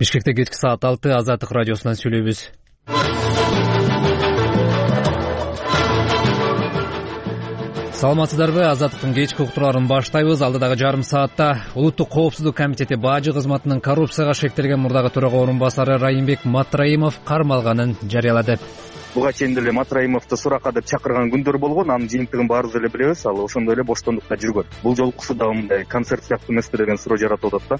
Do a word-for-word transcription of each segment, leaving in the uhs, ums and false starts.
Бишкекте кечки саат алты Азаттык радиосунан сүйлөйбүз. Саламатсыздарбы? Азаттыктын кечки уктурууларын баштайбыз. Алдыдагы жарым саатта Улуттук коопсуздук комитети бажы кызматынын коррупцияга шектелген мурдагы төрага орун басары Райымбек Матраимов кармалганын жарыялады. Буга чейин деле Матраимовду суракка деп чакырган күндөр болгон. Анын жыйынтыгын баарыбыз эле билебиз. Ал ошондой эле боштондукта жүргөн. Бул жолкусу дагы мындай концерт сыяктуу эмеспи деген суроо жаратып атат да.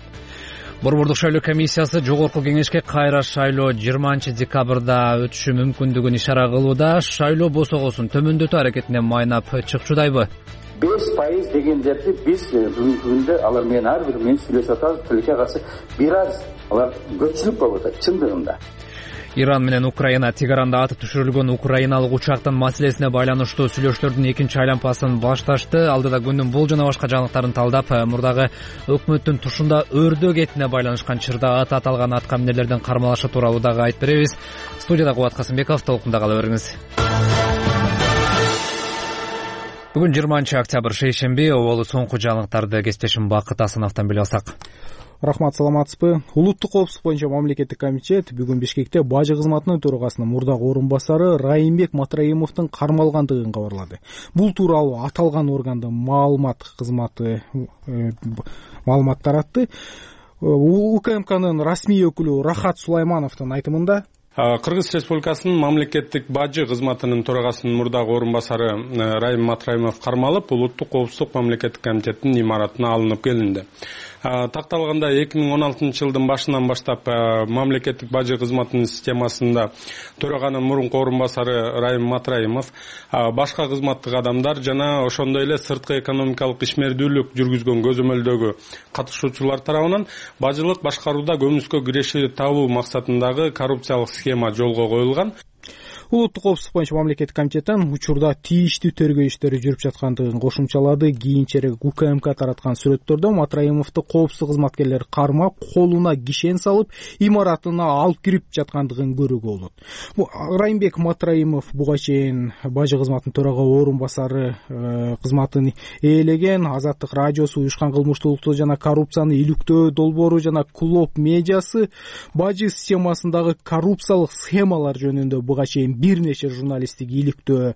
Борбордук шайлоо комиссиясы жогорку кеңешке кайра шайлоо жыйырманчы декабрда өтүшү мүмкүндүгүн ишара кылууда. Шайлоо босогосун төмөндөтүү аракетине майнап чыкчудайбы? беш пайыз дегендерди биз бүгүнкү күндө алар менен ар бир менен сүйлөшүп атабыз. Тилекке каршы бир аз алар көпчүлүк болуп атат чындыгында. Иран менен Украина Тегеранда атып түшүрүлгөн украиналык учактын маселесине байланыштуу сүйлөшүүлөрдүн экинчи айланпасын башташты. Алдыда күндүн бул жана башка жаңылыктарын талдап, мурдагы өкмөттүн тушунда өрдөө кетине байланышкан чырда ат аталган аткаминерлердин кармалышы тууралуу дагы айтып беребиз. Студияда Кубат Касымбеков, толкунда кала бериңиз. Бүгүн жыйырманчы октябрь шейшемби, оболу соңку жаңылыктарды кесиптешим Бакыт Асановдон билип алсак. Рахмат, саламатсызбы? Улуттук коопсуздук боюнча мамлекеттик комитет бүгүн Бишкекте бажы кызматынын төрагасынын мурдагы орун басары Райымбек Матраимовдун кармалгандыгын кабарлады. Бул тууралуу аталган органдын маалымат кызматы маалымат таратты. УКМКнын расмий өкүлү Рахат Сулаймановдун айтымында Кыргыз Республикасынын мамлекеттик бажы кызматынын төрагасынын мурдагы орун басары Райым Матраимов кармалып, Улуттук коопсуздук мамлекеттик комитетинин имаратына алынып келинди. Такталганда эки миң он алтынчы жылдын башынан баштап мамлекеттик бажы кызматынын системасында төраганын мурунку орун басары Райым Матраимов башка кызматтык адамдар жана ошондой эле сырткы экономикалык ишмердүүлүк жүргүзгөн көзөмөлдөгү катышуучулар тарабынан бажылык башкарууда көмүскө киреши табуу максатындагы коррупциялык схема жолго коюлган. Улуттук коопсуздук боюнча мамлекеттик комитеттен учурда тийиштүү тергөө иштери жүрүп жаткандыгын кошумчалады. Кийинчерээк УКМК тараткан сүрөттөрдө Матраимовду коопсуздук кызматкерлер кармап, колуна кишен салып, имаратына алып кирип жаткандыгын көрүүгө болот. Райымбек Матраимов буга чейин бажы кызматынын төрага орун басары кызматын ээлеген. Азаттык радиосу, уюшкан кылмыштуулукту жана коррупцияны иликтөө долбоору жана Клоп медиасы бажы системасындагы коррупциялык схемалар жөнүндө буга чейин бир нече журналисттик иликтөө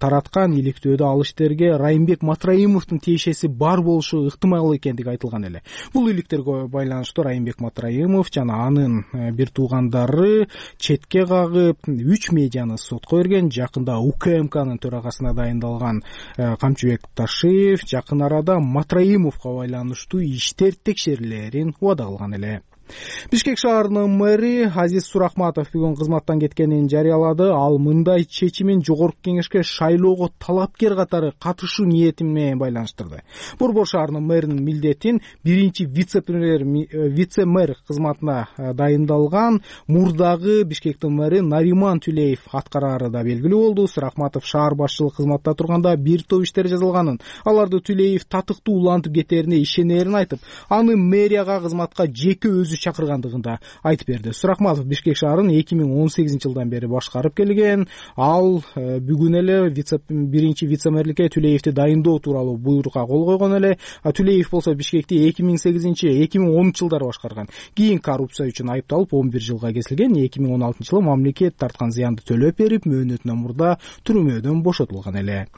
тараткан. Иликтөөдө ал иштерге Райымбек Матраимовдун тиешеси бар болушу ыктымал экендиги айтылган эле. Бул иликтерге байланыштуу Райымбек Матраимов жана анын бир туугандары четке кагып үч медианы сотко берген. Жакында УКМКнын төрагасына дайындалган Камчыбек Ташиев жакын арада Матраимовго байланыштуу иштер текшерилерин убада кылган эле. Бишкек шаарынын мэри Азиз Сурахматов бүгүн кызматтан кеткенин жарыялады. Ал мындай чечимин жогорку кеңешке шайлоого талапкер катары катышуу ниети менен байланыштырды. Борбор шаарынын мэринин милдетин биринчи вице-премьер вице-мэр кызматына дайындалган мурдагы Бишкектин мэри Нариман Түлеев аткарары да белгилүү болду. Сурахматов шаар башчылык кызматта турганда бир топ иштер жазылганын, аларды Түлеев татыктуу улантып кетерине ишенерин айтып, аны мэрияга кызматка жеке өзү чакыргандыгында айтып берди. Сурахматов Бишкек шаарын эки миң он сегизинчи жылдан бери башкарып келген. Ал бүгүн эле вице биринчи вице-мэрликке Түлеевди дайындоо тууралуу буйрукка кол койгон эле. Түлеев болсо Бишкекти эки миң сегизинчи эки миң онунчу жылдары башкарган. Кийин коррупция үчүн айыпталып он бир жылга кесилген. эки миң он алтынчы жылы мамлекет тарткан зыянды төлөп берип, мөөнөтүнөн мурда түрмөдөн бошотулган эле.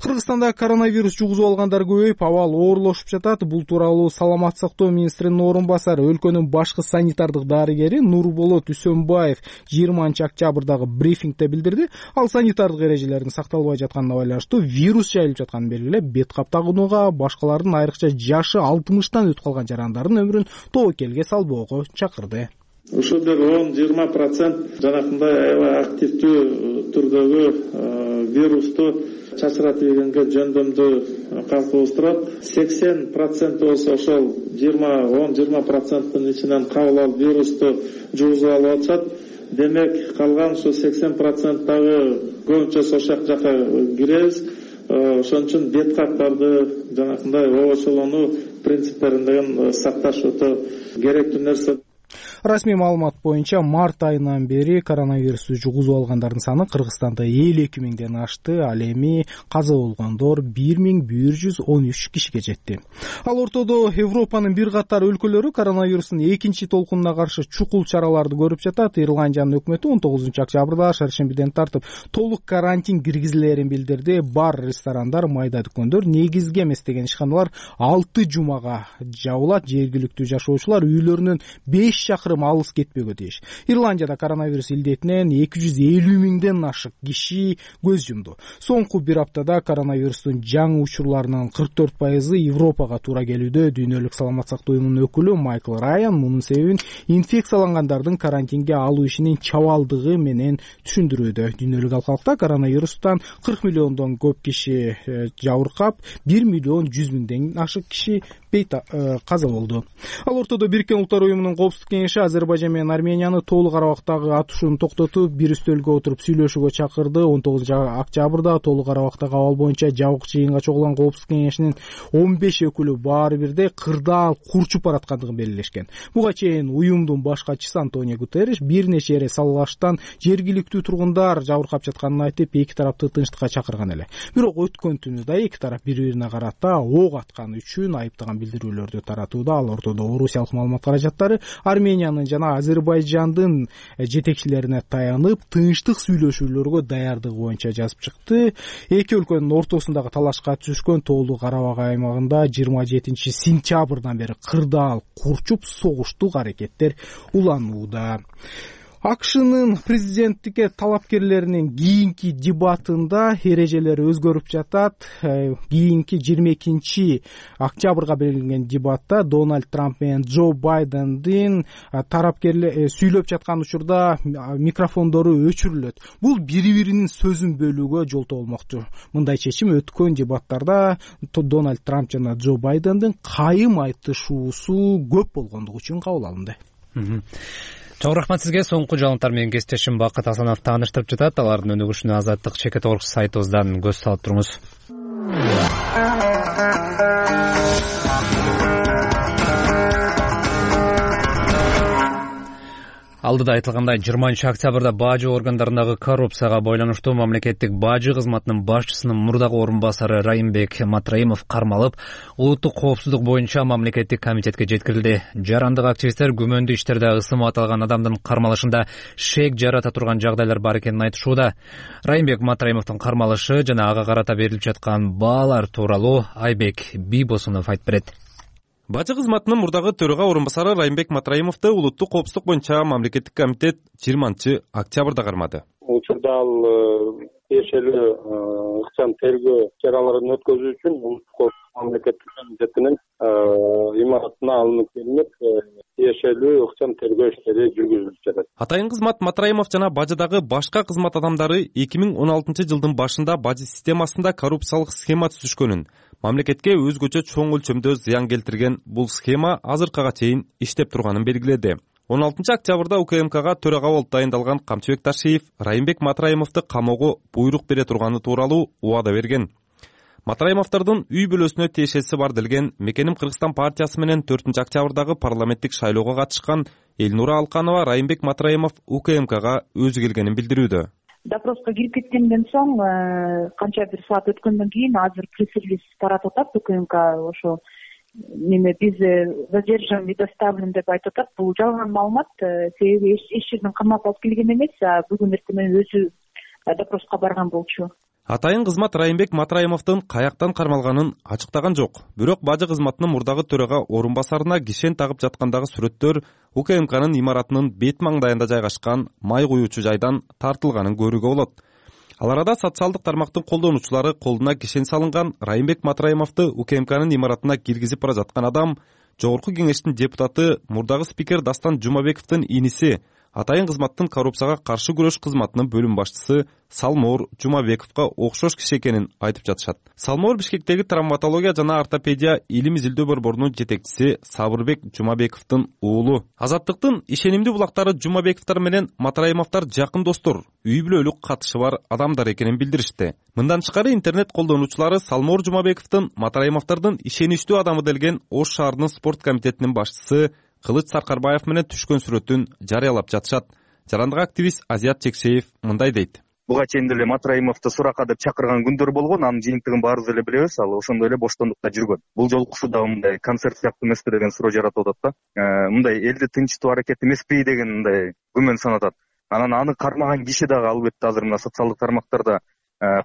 Кыргызстанда коронавирус жугузуп алгандар көбөйүп, абал оорлошуп жатат. Бул тууралуу Саламаттык сактоо министринин орун басары, өлкөнүн башкы санитардык дарыгери Нурболот Үсөнбаев жыйырманчы октябрдагы брифингде билдирди. Ал санитардык эрежелердин сакталбай жатканына байланыштуу вирус жайылып жатканын белгилеп, бет кап тагынууга, башкалардын айрыкча жашы алтымыштан өтүп калган жарандардын өмүрүн тобокелге салбоого чакырды. Ушул бир он жыйырма процент жанакындай аябай активдүү түрдөгү вирусту чачыратып ийгенге жөндөмдү калыпташтырат. сексен процент болсо ошол жыйырма он жыйырма проценттин ичинен кабыл алып вирусту жугузуп алып атышат. Демек калган ушу сексен процент дагы көбүнчө ошол жака киребиз. Ошон үчүн бет каптарды жанакындай обочолонуу принциптерин сакташ өтө керектүү нерсе. Расмий маалымат боюнча март айынан бери коронавирусту жугузуп алгандардын саны Кыргызстанда элүү эки миңден ашты. Ал эми каза болгондор бир миң бир жүз он үч кишиге жетти. Ал ортодо Европанын бир катар өлкөлөрү коронавирустун экинчи толкунуна каршы чукул чараларды көрүп жатат. Ирландиянын өкмөтү он тогузунчу октябрда шаршембиден тартып толук карантин киргизилерин билдирди. Бар, ресторандар, майда дүкөндөр, негизги эмес деген ишканалар алты жумага жабылат. Жергиликтүү жашоочулар үйлөрүнөн беш чакырым алыс кетпөгө тийиш. Ирландияда коронавирус илдетинен эки жүз элүү миңден ашык киши көз жумду. Соңку бир аптада коронавирустун жаңы учурларынын кырк төрт пайызы Европага туура келүүдө. Дүйнөлүк саламат сактоо уюмунун өкүлү Майкл Райан мунун себебин инфекциялангандардын карантинге алуу ишинин чабалдыгы менен түшүндүрүүдө. Дүйнөлүк алкалыкта коронавирустан кырк миллиондон көп киши жабыркап, бир миллион жүз миңден ашык киши каза болду. Ал ортодо Бириккен Улуттар уюмунун коопсуздук кеңеши Азербайжан менен Арменияны толук Карабактагы атышууну токтотуп, бир үстөлгө отуруп сүйлөшүүгө чакырды. он тогузунчу октябрда толук Карабактагы абал боюнча жабык жыйынга чогулган коопсуздук кеңешинин он беш өкүлү баары бирдей кырдаал курчуп бараткандыгын белгилешкен. Буга чейин уюмдун баш катчысы Антонио Гутерриш бир нече эре салгылаштан жергиликтүү тургундар жабыркап жатканын айтып, эки тарапты тынчтыкка чакырган эле. Бирок өткөн түнү да эки тарап бири-бирине карата ок атканы үчүн айыптаган билдирүүлөрдү таратууда. Ал ортодо орусиялык маалымат каражаттары Армениянын жана Азербайжандын жетекчилерине таянып, тынчтык сүйлөшүүлөргө даярдыгы боюнча жазып чыкты. Эки өлкөнүн ортосундагы талашка түшкөн Тоолуу Карабак аймагында жыйырма жетинчи сентябрдан бери кырдаал курчуп согуштук аракеттер уланууда. АКШнын президенттикке талапкерлеринин кийинки дебатында эрежелер өзгөрүп жатат. Кийинки жыйырма экинчи октябрга белгиленген дебатта Дональд Трамп менен Джо Байдендин тарапкерлер сүйлөп жаткан учурда микрофондору өчүрүлөт. Бул бири-биринин сөзүн бөлүүгө жолтоо болмокчу. Мындай чечим өткөн дебаттарда Дональд Трамп жана Джо Байдендин кайым айтышуусу көп болгондугу үчүн кабыл алынды. Чоң рахмат сизге. Соңку жаңылыктар менен кесиптешим Бакыт Асанов тааныштырып жатат. Алардын өнүгүшүнө Азаттык чекит точка орг сайтыбыздан көз салып туруңуз. Алдыда айтылгандай, жыйырманчы октябрда бажы органдарындагы коррупцияга байланыштуу мамлекеттик бажы кызматынын башчысынын мурдагы орун басары Райымбек Матраимов кармалып, улуттук коопсуздук боюнча мамлекеттик комитетке жеткирилди. Жарандык активисттер күмөндүү иштерде ысымы аталган адамдын кармалышында шек жарата турган жагдайлар бар экенин айтышууда. Райымбек Матраимовдун кармалышы жана ага карата берилип жаткан баалар тууралуу Айбек Бийбосунов айтып берет. Бажы кызматынын мурдагы төрага орун басары Райымбек Матраимовду улуттук коопсуздук боюнча мамлекеттик комитет жыйырманчы октябрда кармады. Учурда ал тиешелүү ыкчам тергөө чараларын өткөзүү үчүн улуттук мамлекеттик комитетинин имаратына алынып келинип, тиешелүү ыкчам тергөө иштери жүргүзүлүп жатат. Атайын кызмат Матраимов жана бажыдагы башка кызмат адамдары эки миң он алтынчы жылдын башында бажы системасында коррупциялык схема түзүшкөнүн, мамлекетке өзгөчө чоң өлчөмдө зыян келтирген бул схема азыркыга чейин иштеп турганын белгиледи. он алтынчы октябрда УКМКга төрага болуп дайындалган Камчыбек Ташиев Райымбек Матраимовду камоого буйрук бере турганы тууралуу убада берген. Матраимовдордун үй бүлөсүнө тиешеси бар делген Мекеним Кыргызстан партиясы менен төртүнчү октябрдагы парламенттик шайлоого катышкан Элнура Алканова Райымбек Матраимов УКМКга өзү келгенин билдирүүдө. Допроско кирип кеткенден соң канча бир саат өткөндөн кийин азыр пресс-релиз таратып атат УКМК, ошо неме биз задержан и доставлен деп айтып атат. Бул жалган маалымат, себеби эч жерден камап алып келген эмес, бүгүн эртең өзү допроско барган болчу. Атайын кызмат Райымбек Матраимовдун каяктан кармалганын ачыктаган жок. Бирок бажы кызматынын мурдагы төрага орун басарына кишен тагып жаткандагы сүрөттөр УКМКнын имаратынын бет маңдайында жайгашкан май куюучу жайдан тартылганын көрүүгө болот. Ал арада социалдык тармактын колдонуучулары колуна кишен салынган Райымбек Матраимовду УКМКнын имаратына киргизип бара жаткан адам Жогорку кеңештин депутаты, мурдагы спикер Дастан Жумабековдун иниси, атайын кызматтын коррупцияга каршы күрөш кызматынын бөлүм башчысы Салмоор Жумабековго окшош киши экенин айтып жатышат. Салмоор Бишкектеги травматология жана ортопедия илим изилдөө борборунун жетекчиси Сабырбек Жумабековдун уулу. Азаттыктын ишенимдүү булактары Жумабековдор менен Матраимовдор жакын достор, үй бүлөлүк катышы бар адамдар экенин билдиришти. Мындан тышкары интернет колдонуучулары Салмоор Жумабековдун Матраимовдордун ишеничтүү адамы делген Ош шаарынын спорт комитетинин башчысы Кылыч Саркарбаев менен түшкөн сүрөтүн жарыялап жатышат. Жарандык активист Азият Чекшеев мындай дейт. Буга чейин деле Матраимовду суракка деп чакырган күндөр болгон, анын жыйынтыгын баарыбыз эле билебиз. Ал ошондой эле боштондукта жүргөн. Бул жолкусу да мындай концерт сыяктуу эмеспи деген суроо жаратып атат да. Мындай элди тынчтуу аракет эмеспи деген мындай күмөн санатат. Анан аны кармаган киши дагы албетте азыр мына социалдык тармактарда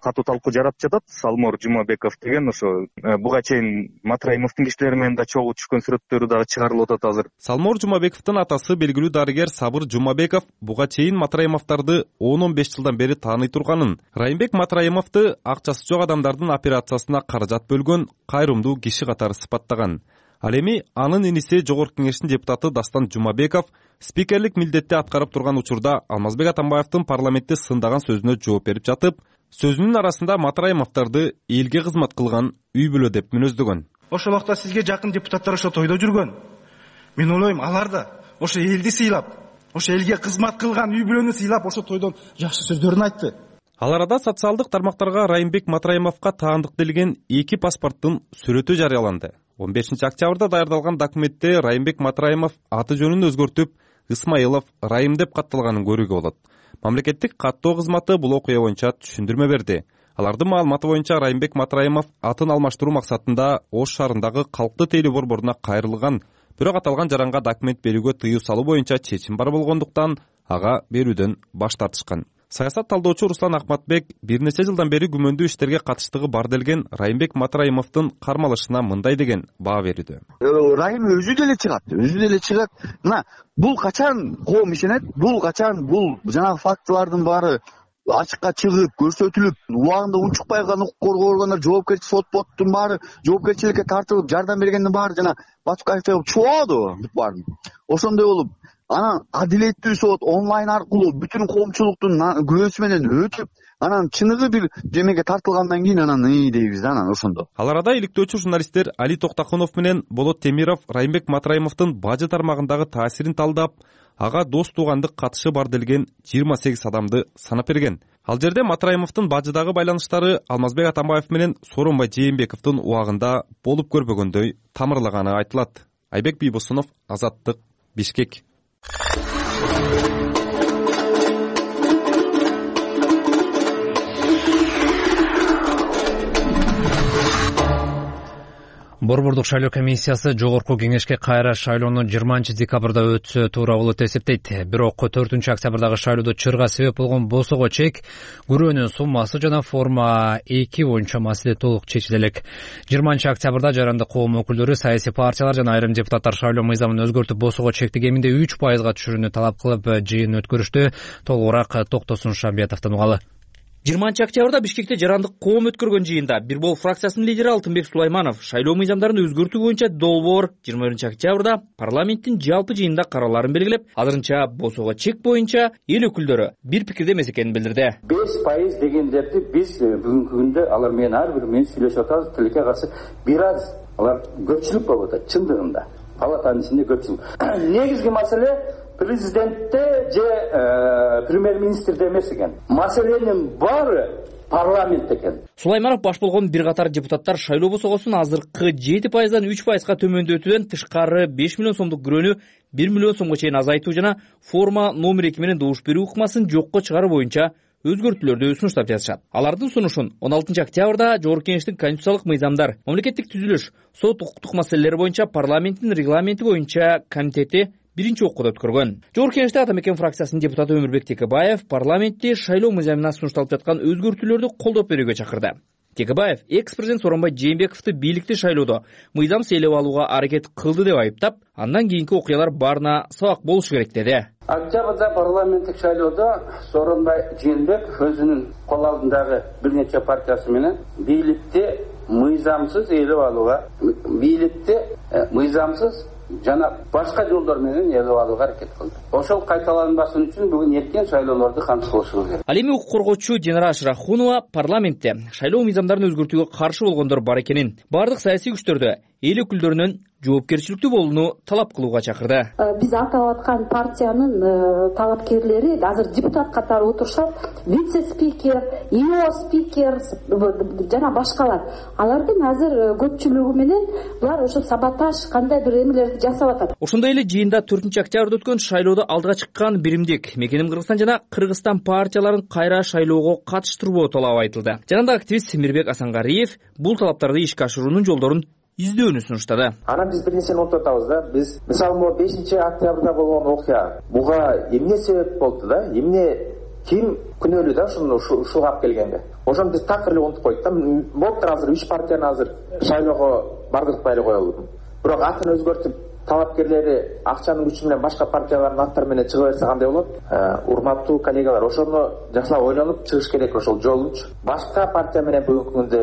катуу талкуу жаратып жатат. Салмор Жумабеков деген ошо буга чейин Матраимовдун кишилери менен да чогуу түшкөн сүрөттөрү дагы чыгарылып атат азыр. Салмор Жумабековдун атасы белгилүү дарыгер Сабыр Жумабеков буга чейин Матраимовдорду он он беш жылдан бери тааный турганын, Райымбек Матраимовду акчасы жок адамдардын операциясына каражат бөлгөн кайрымдуу киши катары сыпаттаган. Ал эми анын иниси Жогорку Кеңештин депутаты Дастан Жумабеков спикерлик милдетти аткарып турган учурда Алмазбек Атамбаевдин парламентте сындаган сөзүнө жооп берип жатып, сөзүнүн арасында Матраимовдорду элге кызмат кылган үй бүлө деп мүнөздөгөн. Ошол убакта сизге жакын депутаттар ошо тойдо жүргөн. Мен ойлойм, алар да ошо элди сыйлап, ошо элге кызмат кылган үй бүлөнү сыйлап, ошо тойдон жакшы сөздөрүн айтты. Ал арада социалдык тармактарга Райымбек Матраимовго таандык делген эки паспорттун сүрөтү жарыяланды. он бешинчи октябрда даярдалган документте Райымбек Матраимов аты жөнүн өзгөртүп Исмаилов Райым деп катталганын көрүүгө болот. Мамлекеттик каттоо кызматы бул окуя боюнча түшүндүрмө берди. Алардын маалыматы боюнча Райымбек Матраимов атын алмаштыруу максатында Ош шаарындагы калктуу тейлөө борборуна кайрылган, бирок аталган жаранга документ берүүгө тыюу салуу боюнча чечим бар болгондуктан ага берүүдөн баш тартышкан. Саясат талдоочу Руслан Акматбек бир нече жылдан бери күмөндүү иштерге катыштыгы бар делген Райымбек Матраимовдун кармалышына мындай деген баа берүүдө. Райым өзү деле чыгат, өзү деле чыгат. Мына бул качан коом ишенет? Бул качан бул жанагы фактылардын баары ачыкка чыгып, көрсөтүлүп, убагында унчукпай калган укук коргоо органдары жоопкерчилик сот-боттун баары жоопкерчиликке тартылып, жардам бергендин баары жана Батукаевдей болуп чугабады бүт баарын. Ошондой болуп, анан адилеттүү сот онлайн аркылуу бүтүн коомчулуктун күрөөсү менен өтүп, анан чыныгы бир жемеге тартылгандан кийин анан ый дейбиз да, анан ошондо. Ал арада иликтөөчү журналисттер Али Токтакунов менен Болот Темиров Райымбек Матраимовдун бажы тармагындагы таасирин талдап, ага дос туугандык катышы бар делген жыйырма сегиз адамды санап берген. Ал жерде Матраимовдун бажыдагы байланыштары Алмазбек Атамбаев менен Сооронбай Жээнбековдун убагында болуп көрбөгөндөй тамырлаганы айтылат. Айбек Бийбосунов, Азаттык, Бишкек. Борбордук шайлоо комиссиясы Жогорку Кеңешке кайра шайлоону жыйырманчы декабрда өтсө туура болот деп эсептейт. Бирок төртүнчү октябрдагы шайлоодо чырга себеп болгон босого чек, күрөөнүн суммасы жана форма эки боюнча маселе толук чечиле элек. жыйырманчы октябрда жарандык коом өкүлдөрү, саясий партиялар жана айрым депутаттар шайлоо мыйзамын өзгөртүп босого чекти кеминде үч пайызга түшүрүүнү талап кылып жыйын өткөрүштү. Толугураак Токтосун Шамбиятовдон угалы. жыйырманчы октябрда Бишкекте жарандык коом өткөргөн жыйында Бир Бол фракциясынын лидери Алтынбек Сулайманов шайлоо мыйзамдарын өзгөртүү боюнча долбоор жыйырма биринчи октябрда парламенттин жалпы жыйынында карааларын белгилеп, азырынча босого чек боюнча эл өкүлдөрү бир пикирде эмес экенин билдирди. беш пайыз дегендерди биз бүгүнкү күндө алар менен ар бир менен сүйлөшүп атабыз, тилекке каршы бир аз алар көпчүлүк болуп атат чындыгында. Палатанын ичинде көпчүлүк. Негизги маселе президентте же премьер-министрде эмес экен. Маселенин баары парламент экен. Сулайманов баш болгон бир катар депутаттар шайлоо босогосун азыркы жети пайыздан үч пайызга төмөндөтүүдөн тышкары беш миллион сомдук күрөөнү бир миллион сомго чейин азайтуу жана форма номер эки менен добуш берүү ыкмасын жокко чыгаруу боюнча өзгөртүүлөрдү сунуштап жатышат. Алардын сунушун он алтынчы октябрда Жогорку Кеңештин конституциялык мыйзамдар, мамлекеттик түзүлүш, сот укуктук маселелери боюнча парламенттин регламенти боюнча комитети биринчи окууда өткөргөн. Жогорку Кеңеште Атамекен фракциясынын депутаты Өмүрбек Текебаев парламентте шайлоо мыйзамына сунушталып жаткан өзгөртүүлөрдү колдоп берүүгө чакырды. Текебаев экс-президент Сооронбай Жээнбековду бийликти шайлоодо мыйзамсыз ээлеп алууга аракет кылды деп айыптап, андан кийинки окуялар баарына сабак болушу керек деди. Октябрда парламенттик шайлоодо Сооронбай Жээнбеков өзүнүн кол алдындагы бир нече партиясы менен бийликти мыйзамсыз ээлеп алууга, бийликти мыйзамсыз жана башка жолдор менен ээлеп алууга аракет кылды. Ошол кайталанбасын үчүн бүгүн эркен шайлоолорду кантип кылышыбыз керек. Ал эми укук коргоочу Динара Ашрахунова парламентте шайлоо мыйзамдарын өзгөртүүгө каршы болгондор бар экенин, бардык саясий күчтөрдү эл өкүлдөрүнөн жоопкерчиликтүү болууну талап кылууга чакырды. Биз атап аткан партиянын талапкерлери азыр депутат катары отурушат. Вице-спикер, ИО спикер жана башкалар. Алардын азыр көпчүлүгү менен булар ошо саботаж кандай бир эмелерди жасап атат. Ошондой эле жыйында төртүнчү октябрда өткөн шайлоодо алдыга чыккан биримдик Мекеним Кыргызстан жана Кыргызстан партияларын кайра шайлоого катыштырбоо талабы айтылды. Жанагындай активист Мирбек Асангариев бул талаптарды ишке ашыруунун жолдорун издөөнү сунуштады. Анан биз бир нерсени унутуп атабыз да. Биз мисалы могу бешинчи октябрда болгон окуя буга эмне себеп болду да? Эмне ким күнөөлүү да ушуну ушуга алып келгенге? Ошону биз так эле унутуп койдук да. Болуптур азыр үч партияны азыр шайлоого баргызбай эле коелу. Бирок атын өзгөртүп талапкерлери акчанын күчү менен башка партиялардын аттары менен чыга берсе кандай болот? Урматтуу коллегалар, ошону жакшылап ойлонуп чыгыш керек ошол жолунчу. Башка партия менен бүгүнкү күндө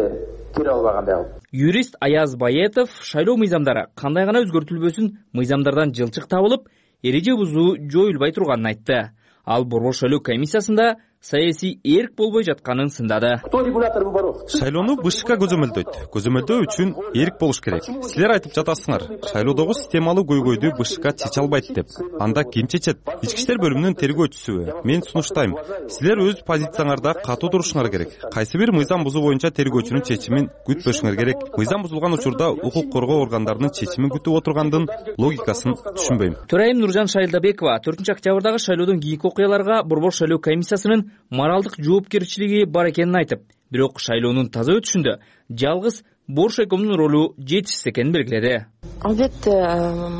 кире албагандай болду. Юрист Аяз Баетов шайлоо мыйзамдары кандай гана өзгөртүлбөсүн мыйзамдардан жылчык табылып, эреже бузуу жоюлбай турганын айтты. Ал Борбор шайлоо комиссиясында саясий эрк болбой жатканын сындады. Шайлоону БШК көзөмөлдөйт. Көзөмөлдөө үчүн эрк болуш керек. Силер айтып жатасыңар, шайлоодогу системалуу көйгөйдү БШК чече албайт деп. Анда ким чечет? Ички иштер бөлүмүнүн тергөөчүсүбү? Мен сунуштайм. Силер өз позицияңарда катуу турушуңар керек. Кайсы бир мыйзам бузуу боюнча тергөөчүнүн чечимин күтпөшүңөр керек. Мыйзам бузулган учурда укук коргоо органдарынын чечимин күтүп отургандын логикасын түшүнбөйм. Төрайым Нуржан Шайылдабекова төртүнчү октябрдагы шайлоодон кийинки окуяларга Борбор шайлоо комиссиясынын моралдык жоопкерчилиги бар экенин айтып, бирок шайлоонун таза өтүшүндө жалгыз Боршайкомдун ролу жетишсиз экенин белгиледи. Албетте,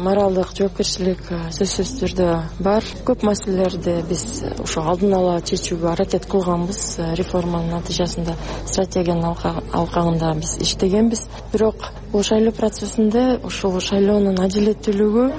моралдык жоопкерчилик сөзсүз түрдө бар. Көп маселелерди биз ошо алдын ала чечүүгө аракет кылганбыз. Реформанын натыйжасында стратегиянын алкагында биз иштегенбиз. Бирок бул шайлоо процессинде ошол шайлоонун адилеттүүлүгү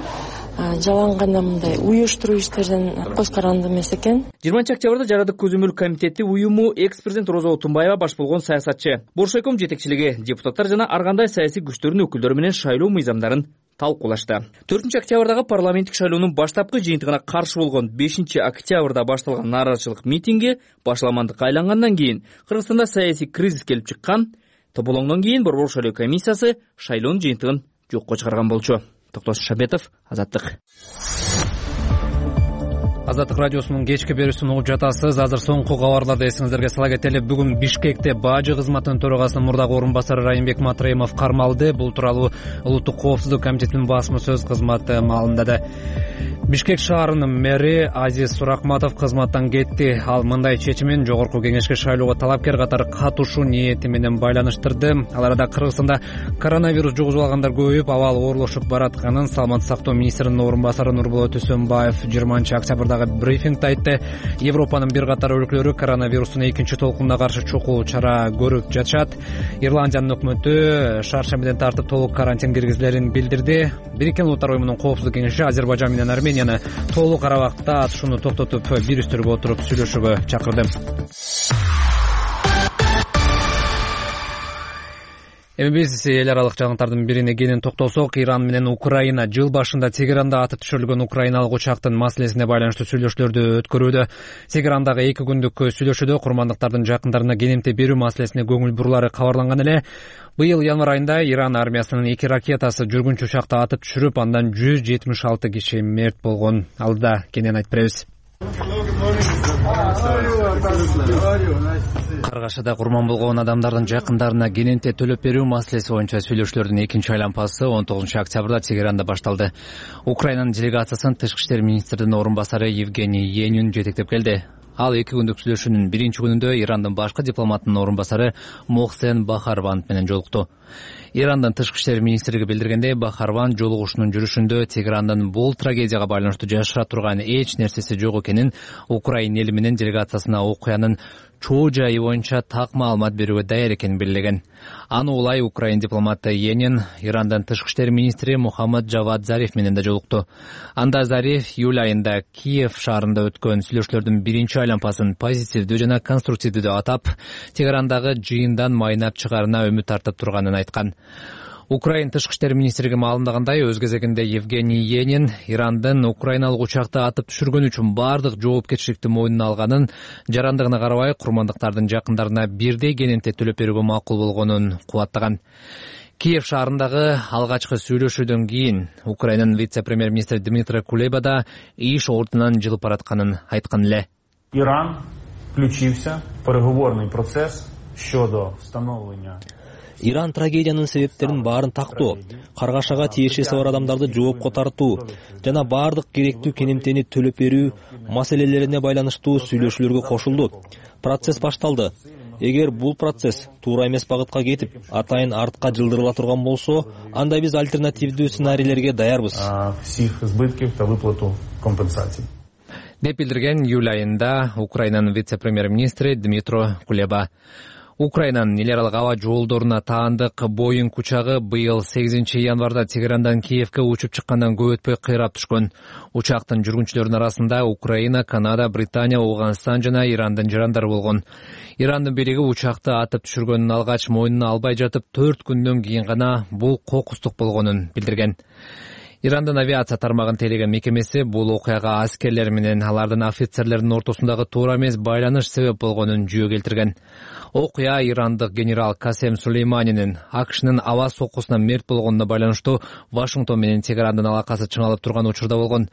жалаң гана мындай уюштуруу иштерден көз каранды эмес экен. жыйырманчы октябрда Жарандык көзөмөл комитети уюму экс-президент Роза Отунбаева баш болгон саясатчы, Боршайком жетекчилиги, депутаттар жана ар кандай саясий күчтөрдүн өкүлдөрү менен шайлоо мыйзамдарын талкуулашты. төртүнчү октябрдагы парламенттик шайлоонун баштапкы жыйынтыгына каршы болгон бешинчи октябрда башталган нааразычылык митинги башламандыкка айлангандан кийин Кыргызстанда саясий кризис келип чыккан. Тополоңдон кийин Борбор шайлоо комиссиясы шайлоонун жыйынтыгын жокко чыгарган болчу. Токтос Шабетов, Азаттык. Азаттык радиосунун кечки берүүсүн угуп жатасыз. Азыр соңку кабарларды эсиңиздерге сала кетели. Бүгүн Бишкекте бажы кызматынын төрагасынын мурдагы орун басары Райымбек Матраимов кармалды. Бул тууралуу Улуттук коопсуздук комитетинин басма сөз кызматы маалымдады. Бишкек шаарынын мэри Азиз Суракматов кызматтан кетти. Ал мындай чечимин жогорку кеңешке шайлоого талапкер катары катышуу ниети менен байланыштырды. Ал арада Кыргызстанда коронавирус жугузуп алгандар көбөйүп, абал оорлошуп баратканын саламаттык сактоо министринин орун басары Нурболот Үсөнбаев жыйырманчы октябрда брифингде айтты. Европанын бир катар өлкөлөрү коронавирустун экинчи толкунуна каршы чокуу чара көрүп жатышат. Ирландиянын өкмөтү шаршембиден тартып толук карантин киргизилерин билдирди. Бириккен Улуттар уюмунун коопсуздук кеңеши Азербайжан менен Арменияны толук ара убакытта атышууну токтотуп бир үстөлгө отуруп сүйлөшүүгө чакырды. Эми биз эл аралык жаңылыктардын бирине кенен токтолсок, Иран менен Украина жыл башында Тегеранда атып түшүрүлгөн украиналык учактын маселесине байланыштуу сүйлөшүүлөрдү өткөрүүдө. Тегерандагы эки күндүк сүйлөшүүдө курмандыктардын жакындарына кенемте берүү маселесине көңүл бурулары кабарланган эле. Быйыл январь айында Иран армиясынын эки ракетасы жүргүнчү учакты атып түшүрүп, андан жүз жетимиш алты киши мерт болгон. Алда кенен айтып беребиз. Каргашада курман болгон адамдардын жакындарына кененте төлөп берүү маселеси боюнча сүйлөшүүлөрдүн экинчи айланпасы он тогузунчу октябрда Тегеранда башталды. Украинанын делегациясын тышкы иштер министринин орун басары Евгений Енин жетектеп келди. Ал эки күндүк сүйлөшүүнүн биринчи күнүндө Ирандын башкы дипломатынын орун басары Мохсен Бахарван менен жолукту. Ирандын тышкы иштер министрлиги билдиргендей, Бахарван жолугушунун жүрүшүндө Тегерандын бул трагедияга байланыштуу жашыра турган эч нерсеси жок экенин, Украина эли менен делегациясына окуянын чоо жайы боюнча так маалымат берүүгө даяр экенин белгилеген. Аны улай Украин дипломаты Енин Ирандын тышкы иштер министри Мухаммад Джавад Зариф менен да жолукту. Анда Зариф июль айында Киев шаарында өткөн сүйлөшүүлөрдүн биринчи айланпасын позитивдүү жана конструктивдүү деп атап, Тегерандагы жыйындан майнап чыгаарына үмүт артып турганын айткан. Украина тышкы иштер министрлиги маалымдагандай, өз кезегинде Евгений Енин Ирандын украиналык учакты атып түшүргөн үчүн бардык жоопкерчиликти мойнуна алганын, жарандыгына карабай курмандыктардын жакындарына бирдей кенемте төлөп берүүгө макул болгонун кубаттаган. Киев шаарындагы алгачкы сүйлөшүүдөн кийин Украинанын вице-премьер-министри Дмитрий Кулеба да иш ордунан жылып баратканын айткан эле. Иран включився в переговорний процес щодо встановлення. Иран трагедиянын себептерин баарын тактоо, каргашага тиешеси бар адамдарды жоопко тартуу жана баардык керектүү кенемтени төлөп берүү маселелерине байланыштуу сүйлөшүүлөргө кошулду. Процесс башталды. Эгер бул процесс туура эмес багытка кетип, атайын артка жылдырыла турган болсо, анда биз альтернативдүү сценарийлерге даярбыз. Всех избытков та выплату компенсаций. Деп билдирген июль айында Украинанын вице-премьер-министри Дмитрий Кулеба. Украинанын эл аралык аба жолдоруна таандык Боинг учагы быйыл сегизинчи январда Тегерандан Киевке учуп чыккандан көп өтпөй кыйрап түшкөн. Учактын жүргүнчүлөрүнүн арасында Украина, Канада, Британия, Ауганстан жана Ирандын жарандары болгон. Ирандын бийлиги учакты атып түшүргөнүн алгач мойнуна албай жатып, төрт күндөн кийин гана бул кокустук болгонун билдирген. Ирандын авиация тармагын тейлеген мекемеси бул окуяга аскерлер менен алардын офицерлердин ортосундагы туура эмес байланыш себеп болгонун жүйө келтирген. Окуя ирандык генерал Касем Сулейманинин АКШнын аба соккусуна мерт болгонуна байланыштуу Вашингтон менен Тегерандын алакасы чыңалып турган учурда болгон.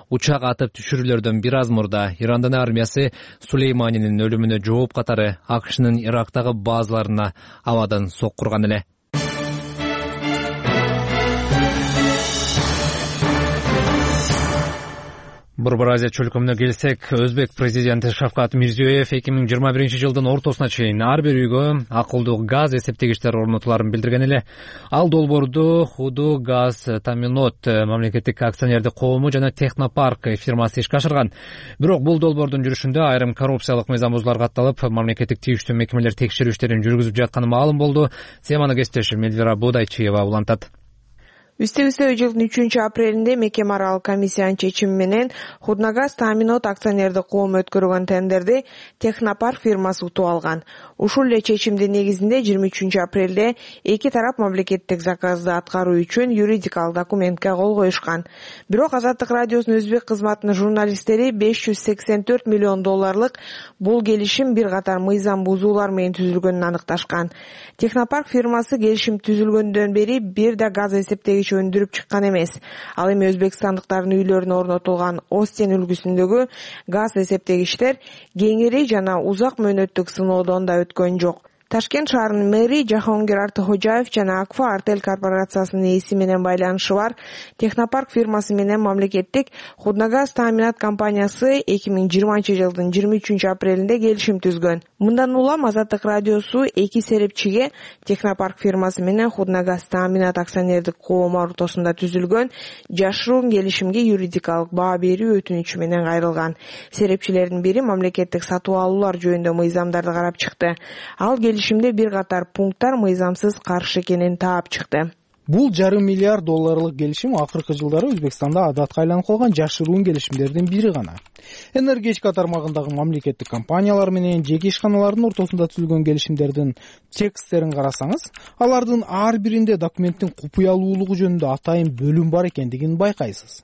Учак атып түшүрүүлөрдөн бир аз мурда Ирандын армиясы Сулейманинин өлүмүнө жооп катары АКШнын Ирактагы базаларына абадан соккурган эле. Борбор Азия чөлкөмүнө келсек, Өзбек президенти Шавкат Мирзиёев эки миң жыйырма биринчи жылдын ортосуна чейин ар бир үйгө акылдуу газ эсептегичтер орнотуларын билдирген эле. Ал долбоорду Худу Газ Таминот мамлекеттик акционердик коому жана Технопарк фирмасы ишке ашырган. Бирок бул долбоордун жүрүшүндө айрым коррупциялык мыйзам бузуулар катталып, мамлекеттик тийиштүү мекемелер текшерүү иштерин жүргүзүп жатканы маалым болду. Теманы кесиптешим Эльвира Бодайчиева улантат. Үстө-үстө жылдын үчүнчү апрелинде мекеме аралык комиссиянын чечими менен Худнагаз Таминот акционердик коому өткөргөн тендерди Технопарк фирмасы утуп алган. Ушул эле чечимдин негизинде жыйырма үчүнчү апрелде эки тарап мамлекеттик заказды аткаруу үчүн юридикалык документке кол коюшкан. Бирок Азаттык радиосунун өзбек кызматынын журналисттери беш жүз сексен төрт миллион долларлык бул келишим бир катар мыйзам бузуулар менен түзүлгөнүн аныкташкан. Технопарк фирмасы келишим түзүлгөндөн бери бир да газ эсептегич өндүрүп чыккан эмес. Ал эми өзбекстандыктардын үйлөрүнө орнотулган Остен үлгүсүндөгү газ эсептегичтер кеңири жана узак мөөнөттүк сыноодон да өткөн жок. Ташкент шаарынын мэри Жахонгир Артыхожаев жана Акфа Артель корпорациясынын ээси менен байланышы бар Технопарк фирмасы менен мамлекеттик Худнагаз Тааминат компаниясы эки миң жыйырманчы жылдын жыйырма үчүнчү апрелинде келишим түзгөн. Мындан улам Азаттык радиосу эки серепчиге Технопарк фирмасы менен Худнагаз Тааминат акционердик коому ортосунда түзүлгөн жашыруун келишимге юридикалык баа берүү өтүнүчү менен кайрылган. Серепчилердин бири мамлекеттик сатып алуулар жөнүндө мыйзамдарды карап чыкты. Ал келишимде бир катар пункттар мыйзамсыз каршы экенин таап чыкты. Бул жарым миллиард долларлык келишим акыркы жылдары Өзбекстанда адатка айланып калган жашыруун келишимдердин бири гана. Энергетика тармагындагы мамлекеттик компаниялар менен жеке ишканалардын ортосунда түзүлгөн келишимдердин тексттерин карасаңыз, алардын ар биринде документтин купуялуулугу жөнүндө атайын бөлүм бар экендигин байкайсыз.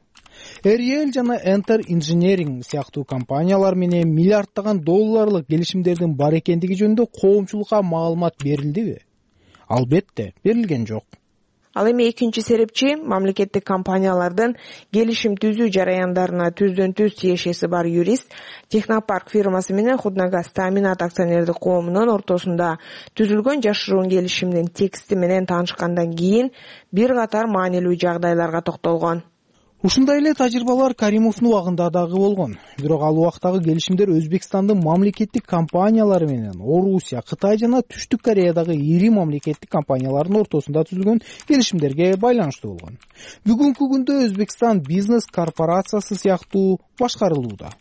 Эриэл жана Enter Engineering сыяктуу компаниялар менен миллиарддаган долларлык келишимдердин бар экендиги жөнүндө коомчулукка маалымат берилдиби? Албетте, берилген жок. Ал эми экинчи серепчи мамлекеттик компаниялардын келишим түзүү жараяндарына түздөн түз тиешеси бар юрист Технопарк фирмасы менен Худнагаз Тааминат акционердик коомунун ортосунда түзүлгөн жашыруун келишимдин тексти менен таанышкандан кийин бир катар маанилүү жагдайларга токтолгон. Ушундай эле тажрыйбалар Каримовдун убагында дагы болгон. Бирок ал убактагы келишимдер Өзбекстандын мамлекеттик компаниялары менен Орусия, Кытай жана Түштүк Кореядагы ири мамлекеттик компаниялардын ортосунда түзүлгөн келишимдерге байланыштуу болгон. Бүгүнкү күндө Өзбекстан бизнес корпорациясы сыяктуу башкарылууда.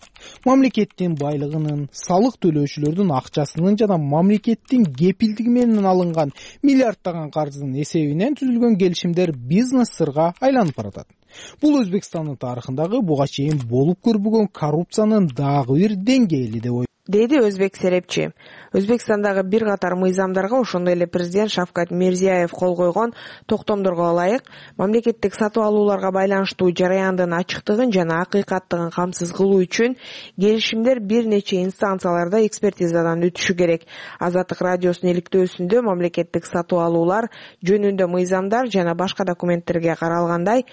Мамлекеттин байлыгынын, салык төлөөчүлөрдүн акчасынын жана мамлекеттин кепилдиги менен алынган миллиарддаган каржынын эсебинен түзүлгөн келишимдер бизнес сырга айланып баратат. Бул Өзбекстандын тарыхындагы буга чейин болуп көрбөгөн коррупциянын дагы бир деңгээли деп деди өзбек серепчи. Өзбекстандагы бир катар мыйзамдарга, ошондой эле президент Шавкат Мирзиёев кол койгон токтомдорго ылайык мамлекеттик сатып алууларга байланыштуу жараяндын ачыктыгын жана акыйкаттыгын камсыз кылуу үчүн келишимдер бир нече инстанцияларда экспертизадан өтүшү керек. Азаттык радиосунун иликтөөсүндө мамлекеттик сатып алуулар жөнүндө мыйзамдар жана башка документтерге каралгандай,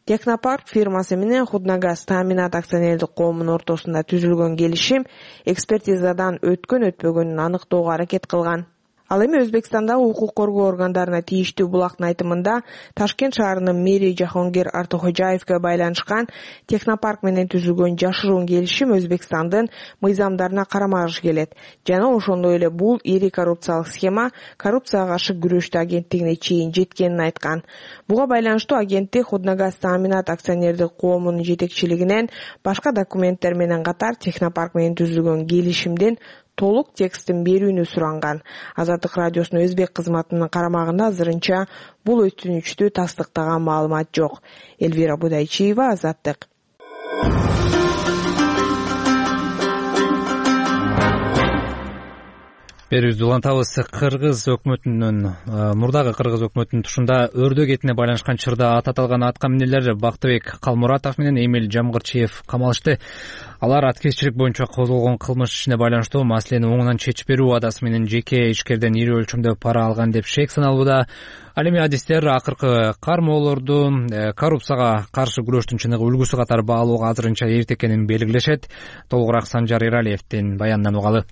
Технопарк фирмасы менен Худнагаз Тааминат акционердик коомунун ортосунда түзүлгөн келишим экспертизадан өткөн өтпөгөнүн аныктоого аракет кылган. Ал эми Өзбекстандагы укук коргоо органдарына тийиштүү булактын айтымында Ташкент шаарынын мэри Жахонгир Артохожаевге байланышкан Технопарк менен түзүлгөн жашыруун келишим Өзбекстандын мыйзамдарына карама-каршы келет жана ошондой эле бул ири коррупциялык схема коррупцияга каршы күрөштү агенттигине чейин жеткенин айткан. Буга байланыштуу агенттик Худнагаз Тааминат акционердик коомунун жетекчилигинен башка документтер менен катар Технопарк менен түзүлгөн келишимдин толук текстин берүүнү суранган. Азаттык радиосунун өзбек кызматынын карамагында азырынча бул өтүнүчтү тастыктаган маалымат жок. Элвира Будайчиева, Азаттык. Берүүбүздү улантабыз. Кыргыз өкмөтүнүн мурдагы кыргыз өкмөтүнүн тушунда өрдөөк этине байланышкан чырда ат аталган атка минерлер Бактыбек Калмуратов менен Эмил Жамгырчиев камалышты. Алар аткезчилик боюнча козголгон кылмыш ишине байланыштуу маселени оңунан чечип берүү угадасы менен жеке ишкерден ири өлчөмдө пара алган деп шек саналууда. Ал эми адистер акыркы кармоолорду коррупцияга каршы күрөштүн чыныгы үлгүсү катары баалоого азырынча эрте экенин белгилешет. Толугураак Санжар Эралиевдин баянынан угалы.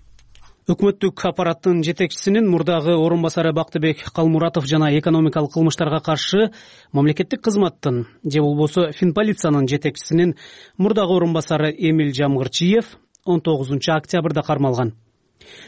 Өкмөттүк аппараттын жетекчисинин мурдагы орун басары Бактыбек Калмуратов жана экономикалык кылмыштарга каршы мамлекеттик кызматтын же болбосо Финполициянын жетекчисинин мурдагы орун басары Эмил Жамгырчиев он тогузунчу октябрда кармалган.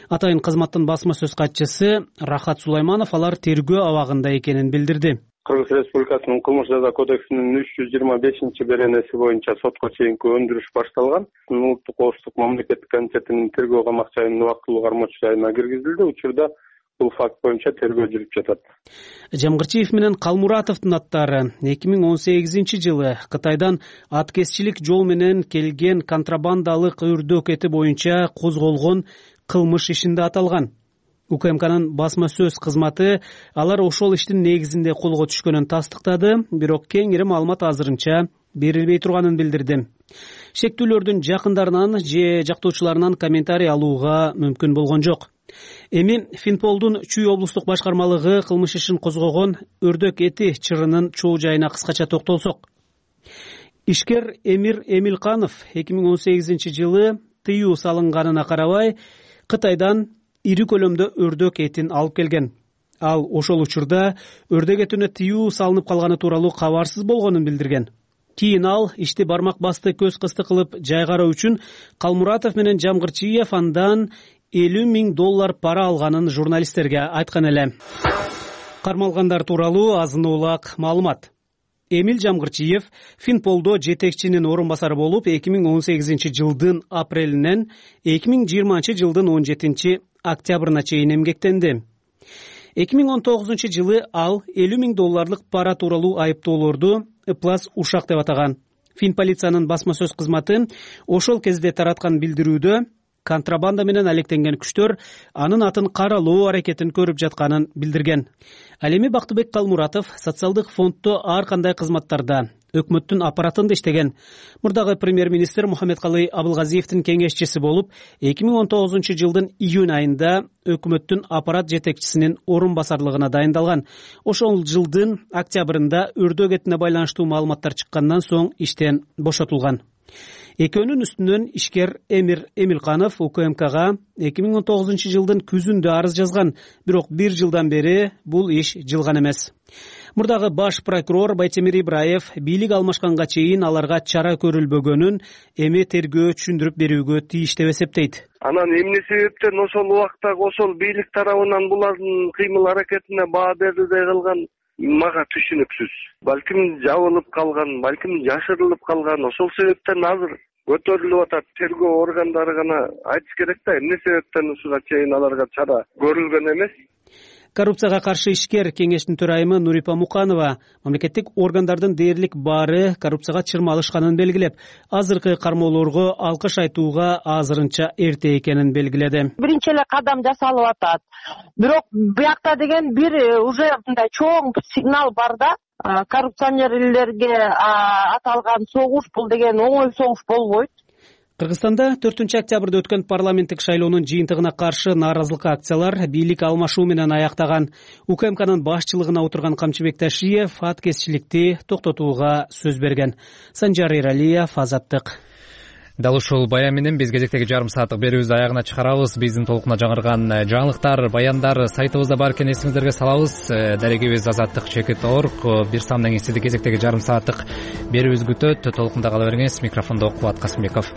Атайын кызматтын басма сөз катчысы Рахат Сулайманов алар тергөө абагында экенин билдирди. Кыргыз Республикасынын кылмыш жаза кодексинин үч жүз жыйырма бешинчи беренеси боюнча сотко чейинки өндүрүш башталган. Улуттук коопсуздук мамлекеттик комитетинин тергөө камак жайынын убактылуу кармоочу жайына киргизилди. Учурда бул факт боюнча тергөө жүрүп жатат. Жамгырчиев менен Калмуратовдун аттары эки миң он сегизинчи жылы Кытайдан аткезчилик жол менен келген контрабандалык өрдөөк эти боюнча козголгон кылмыш ишинде аталган. УКМКнын басма сөз кызматы алар ошол иштин негизинде колго түшкөнүн тастыктады, бирок кеңири маалымат азырынча берилбей турганын билдирди. Шектүүлөрдүн жакындарынан же жактоочуларынан комментарий алууга мүмкүн болгон жок. Эми Финполдун Чүй облустук башкармалыгы кылмыш ишин козгогон өрдөөк эти чырынын чоо жайына кыскача токтолсок. Ишкер Эмир Эмилканов эки миң он сегизинчи жылы тыюу салынганына карабай Кытайдан ири көлөмдө өрдөөк этин алып келген. Ал ошол учурда өрдөөк этине тыюу салынып калганы тууралуу кабарсыз болгонун билдирген. Кийин ал ишти бармак басты көз кысты кылып жайгаруу үчүн Калмуратов менен Жамгырчиев андан элүү миң доллар пара алганын журналисттерге айткан эле. Кармалгандар тууралуу азын-улак маалымат. Эмил Жамгырчиев Финполдо жетекчинин орун басары болуп эки миң он сегизинчи жылдын апрелинен эки миң жыйырманчы жылдын он жетинчи октябрына чейин эмгектенди. эки миң он тогузунчу жылы ал элүү миң долларлык пара тууралуу айыптоолорду ыплас ушак деп атаган. Финполициянын басма сөз кызматы ошол кезде тараткан билдирүүдө контрабанда менен алектенген күчтөр анын атын каралоо аракетин көрүп жатканын билдирген. Ал эми Бактыбек Калмуратов социалдык фонддо ар кандай кызматтарда өкмөттүн аппаратында иштеген. Мурдагы премьер-министр Мухаммедкалый Абылгазиевдин кеңешчиси болуп, эки миң он тогузунчу жылдын июнь айында өкмөттүн аппарат жетекчисинин орун басарлыгына дайындалган. Ошол жылдын октябрында өрдөөк этине байланыштуу маалыматтар чыккандан соң иштен бошотулган. Экөөнүн үстүнөн ишкер Эмир Эмилканов УКМКга эки миң он тогузунчу жылдын күзүндө арыз жазган, бирок бир жылдан бери бул иш жылган эмес. Мурдагы баш прокурор Байтемир Ибраев бийлик алмашканга чейин аларга чара көрүлбөгөнүн эми тергөө түшүндүрүп берүүгө тийиш деп эсептейт. Анан эмне себептен ошол убакта ошол бийлик тарабынан булардын кыймыл аракетине баа берилбей калган мага түшүнүксүз. Балким жабылып калган, балким жашырылып калган, ошол себептен азыр көтөрүлүп атат. Тергөө органдары гана айтыш керек да, эмне себептен ушуга чейин аларга чара көрүлгөн эмес. коррупцияга каршы ишкер кеңештин төрайымы Нурипа Муканова мамлекеттик органдардын дээрлик баары коррупцияга чырмалышканын белгилеп, азыркы кармоолорго алкыш айтууга азырынча эрте экенин белгиледи. Биринчи эле кадам жасалып атат. Бирок биякта деген бир уже мындай чоң сигнал бар да. Коррупционерлерге аталган согуш бул деген оңой согуш болбойт. Кыргызстанда төртүнчү октябрда өткөн парламенттик шайлоонун жыйынтыгына каршы нааразылык акциялар бийлик алмашуу менен аяктаган. УКМКнын башчылыгына отурган Камчыбек Ташиев аткезчиликти токтотууга сөз берген. Санжар Эралиев, Азаттык. Дал ушул баян менен биз кезектеги жарым сааттык берүүбүздү аягына чыгарабыз. Биздин толкуна жаңырган жаңылыктар, баяндар сайтыбызда бар экен, эсиңиздерге салабыз. Дарегибиз азаттык чекит точка орг. Бир саамдан кийин сизди кезектеги жарым сааттык берүүбүз күтөт. Толкунда кала бериңиз. Микрофондо Кубат Касымбеков.